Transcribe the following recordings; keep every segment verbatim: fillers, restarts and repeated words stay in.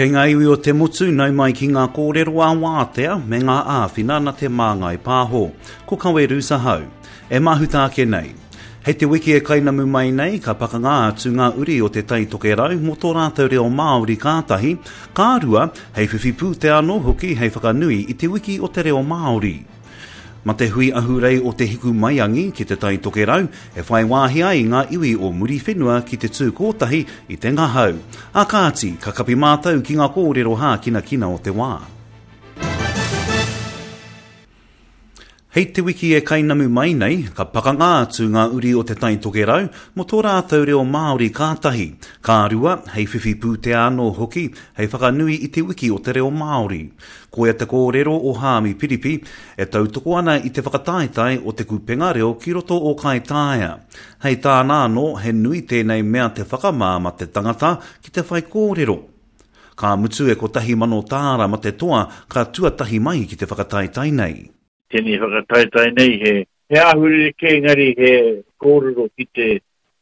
Kei ngā iwi o te motu nau mai ki ngā kōrero a wātea me ngā āwhina na Te Māngai Pāho. Ko Kawe Hau. E mahuta ake nei. Hei te wiki e kainamu mai nei, ka pakanga atu ngā uri o te Tai Tokerau mō tō rātou reo Māori kātahi, ka rua, hei whiwhi pūtea anō hoki hei whakanui i te wiki o te reo Māori. Ma te hui ahurei o te hiku maiangi ki te Tai Tokerau, e whai wāhi ai ngā iwi o Muriwhenua ki te tū kōtahi i te ngahau. A kāti, ka kapi mātou ki ngā kōrero hākinakina o te wā. Hei te wiki e kainamu mai nei, ka pakanga atu ngā uri o te Tai Tokerau mō tō rātou reo Māori kātahi. Ka rua, hei whiwhi pūtea anō hoki, hei whakanui i te wiki o te reo Māori. Koia te kōrero o Haami Piripi, e tautoko ana i te whakataetae o te kupenga reo ki roto o Kaitaia. Hei tāna anō, he nui tēnei mea te whakamā ma te tangata ki te whai kōrero. Ka mutu e kotahi mano tāra ma te toa ka tuatahi mai ki te whakataetae nei. Tēnei whakataetae nei he, he āhurere kē engari he kōrero ki te,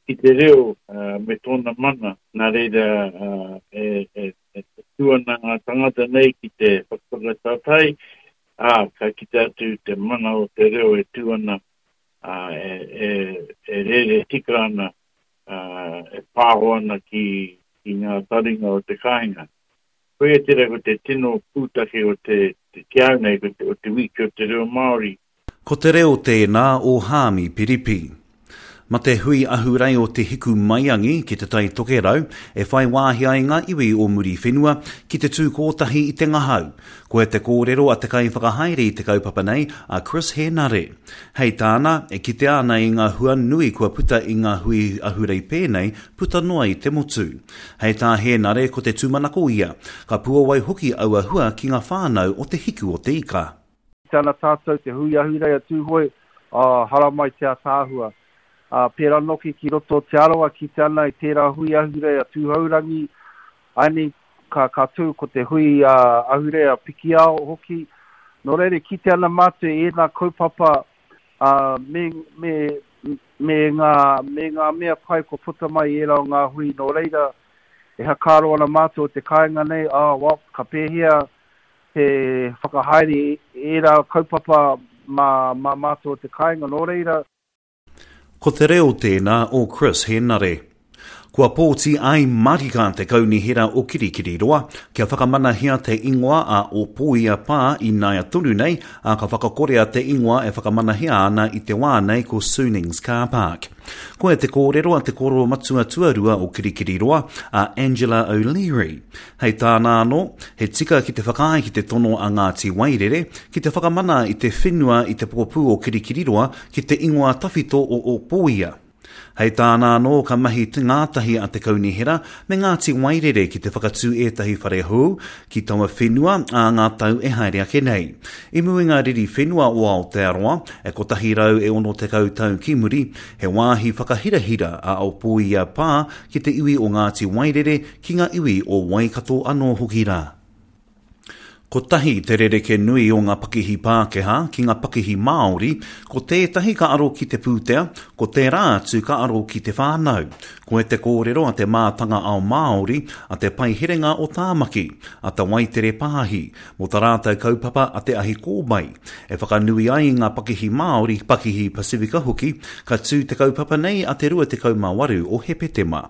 ki te reo uh, me tōna mana. Nā reira uh, e, e, e tū ana ngā tangata nei ki te whakataetae, ā, ka kite atu te mana o te reo e tū ana, uh, e, e, e rere tika ana, uh, e pāho ana ki, ki ngā taringa o te kāinga. Koia tērā ko te tino pūtake o te, te ki au nei, ko te, o te wiki o te reo Māori. Ko te reo tēnā o Haami Piripi. Ma te hui ahurei o te hiku maiangi ki te Tai Tokerau, e whai wāhi ai ngā iwi o Muriwhenua ki te tū kōtahi i te ngahau. Koia te kōrero a te kaiwhakahaere i te kaupapa nei, a Chris Henare. Hei tāna, e kitea ana i ngā hua nui kua puta i ngā hui ahurei pēnei, puta noa i te motu. Hei tā Henare ko te tūmanako ia, ka puawai hoki aua hua ki ngā whānau o te hiku o te ika. Tēnā tātou te hui ahurei a Tūhoe, a haramai te ataahua. Uh, pērā noki ki roto Te Arawa ki te ana i tērā hui ahurei a Tūhourangi, aini ka, ka tū ko te hui uh, ahurei a Pikiao hoki. Nō reira, ki te ana mātou e nā kaupapa uh, me, me, me, ngā, me ngā mea pai ko puta mai ērā o ngā hui. Nō reira, e hakaro ana mātou o te kāinga nei, ah, well, ka pēhea te whakahaere ērā kaupapa mā, mā mātou o te kāinga. Nō reira, Ko te reo tēnā o Chris Henare. Kua pōti ai marika te kaunihera o Kirikiriroa, kia whakamanahia te ingoa a Opoia Pā i naia tonu nei, a ka whakakorea te ingoa e whakamanahia ana i te wā nei ko Sunings Car Park. Koia te kōrero a te koro matua tuarua o Kirikiriroa, a Angela O'Leary. Hei tāna anō, he tika ki te whakaae ki te tono a Ngāti Wairere, ki te whakamana i te whenua i te pokapū o Kirikiriroa ki te ingoa tawhito o Opoia. Hei tāna anō ka mahi te ngātahi a te kaunihera me Ngāti Wairere ki te whakatū ētahi whare hou ki taua whenua a ngā tau e haere ake nei. I mua i ngā riri whenua o Aotearoa, e kotahi rau e ono tekau tau ki muri, he wāhi whakahirahira a Opoia Pā ki te iwi o Ngāti Wairere ki ngā iwi o Waikato anō hoki rā. Kotahi te rereke nui o ngā pakihi Pākehā ki ngā pakihi Māori, ko tētahi ka aro ki te pūtea, ko tērā atu ka aro ki te whānau. Koe te kōrero a te mātanga ao Māori, a te paiherenga o Tāmaki, a te Waitere Pāhi, mō tā rātou kaupapa a te ahi kōmai. E whakanui ai ngā pakihi Māori, pakihi Pasifika hoki, ka tū te kaupapa nei a te rua tekau mā waru o Hepetema.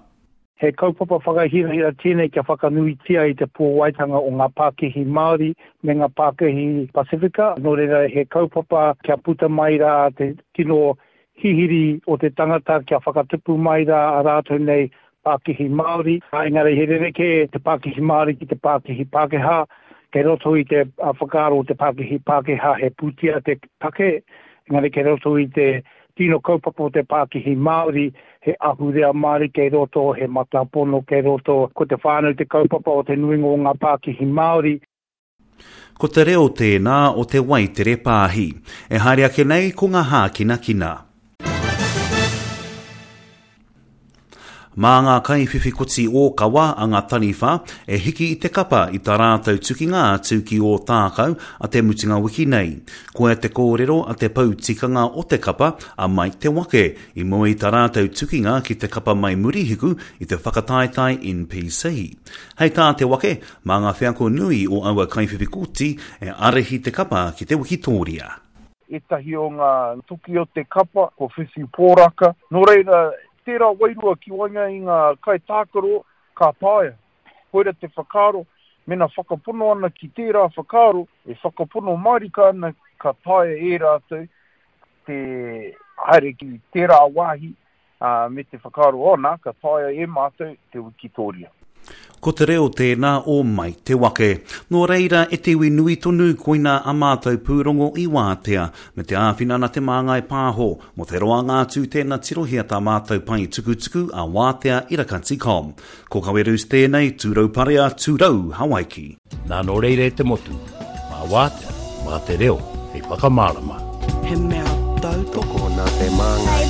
He kaupapa whakahirahira tēnei kia whakanuitia i te pōwaitanga o ngā pākihi Māori me ngā pākihi Pasifika. Nō reira, he kaupapa kia puta mai rā te tino hihiri o te tangata, kia whakatupu mai rā a rātou nei pākihi Māori. Engari he rerekē te pākihi Māori ki te pākihi Pākehā. Kei roto i te whakaaro o te pākihi Pākehā he pūtea te take, engari kei roto i te tino kaupapa o te pākihi Māori, he ahurea Māori kei roto, he matapono kei roto, ko te whānau te kaupapa o te nuinga o ngā pākihi Māori. Ko te reo tēnā o te Waitere Pāhi. E haere ake nei ko ngā hākinakina. Mā ngā kaiwhiwhi koti ōkawa a ngā taniwha e hiki i te kapa i tā rātou tukinga atu ki Ōtākou a te mutunga wiki nei. Koia te kōrero a te pou tikanga o te kapa a Mike Te Wake i mua i tā rātou tukinga ki te kapa mai Murihiku i te whakataetae N P C. Hei tā Te Wake, mā ngā wheako nui o aua kaiwhiwhi koti e ārahi te kapa ki te wikitōria. Ētahi o ngā toki o te kapa, ko whiwhi pōraka. Nō reira, tērā wairua ki waenga i ngā kaitākaro ka taea. Koira te whakaaro, mena whakapono ana ki tērā whakaaro, e whakapono mārika ana ka taea e rātou te haere ki tērā wāhi uh, me te whakaaro ona, ka taea e mātou te wikitoria. Ko te reo tēnā o Mike Te Wake. Nō reira e te iwi nui tonu koina a mātou pūrongo i wātea, me te āwhina na Te Māngai Pāho. Mō te roanga atu tēnā tirohia tā mātou pae tukutuku a wātea irakati com. Ko Kawerus tēnei, tūrau parea, tūrau Hawaiki. Nā nō reira e te motu, mā wātea, mā te reo, hei whakamārama. He mea tautoko nā Te Māngai.